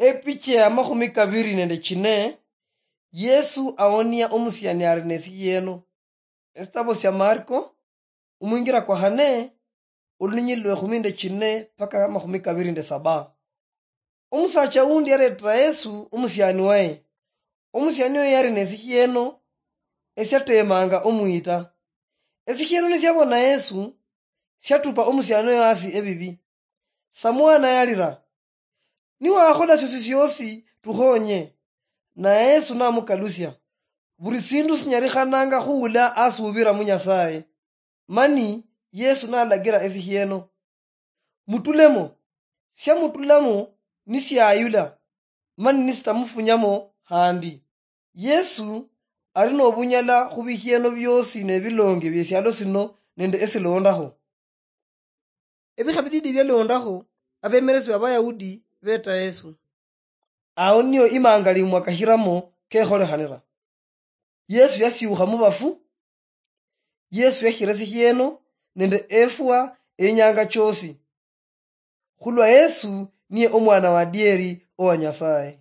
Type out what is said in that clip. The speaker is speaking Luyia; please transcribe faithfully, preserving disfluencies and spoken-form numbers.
Epicha ya makhumi kabiri nende chine. Yesu awonia omusiani ari nesikhieno. Esitabo sia Marko, omwingira kwa khane, olunyili lwe khumi nde chine paka makhumi kabiri nde saba. Omusacha undi yaretera Yesu omusiani waye. Omusiani oyo yari nesikhieno esiatemanga omwita. Esikhieno nisiabona Yesu, siatupa omusiani oyo hasi ebibi. Samwana yalira, "Niwakhola siosi siosi, tukhonye." Naye Yesu namukalusia, "Buli sindu sinyalikhananga khuula asubira mu Nyasaye." Mani Yesu nalagira esikhieno, "Mutulemo." Siamutulamo nisiayula, mani nisitamufunyamo handi. Yesu ari nobunyala khubikhieno biosi nebilonge biesialo sino nende esilondaho. Ebikha bididi bialondaho, abemeresi b'Abayahudi beta Yesu. Ao nio imangalimwa kashiramo kekholekhanira. Yesu yasiukha mubafu. Yesu yakhira esikhieno nende efwa enyanga chiosi. Khulwa Yesu niye omwana wa dieri owa Nyasaye.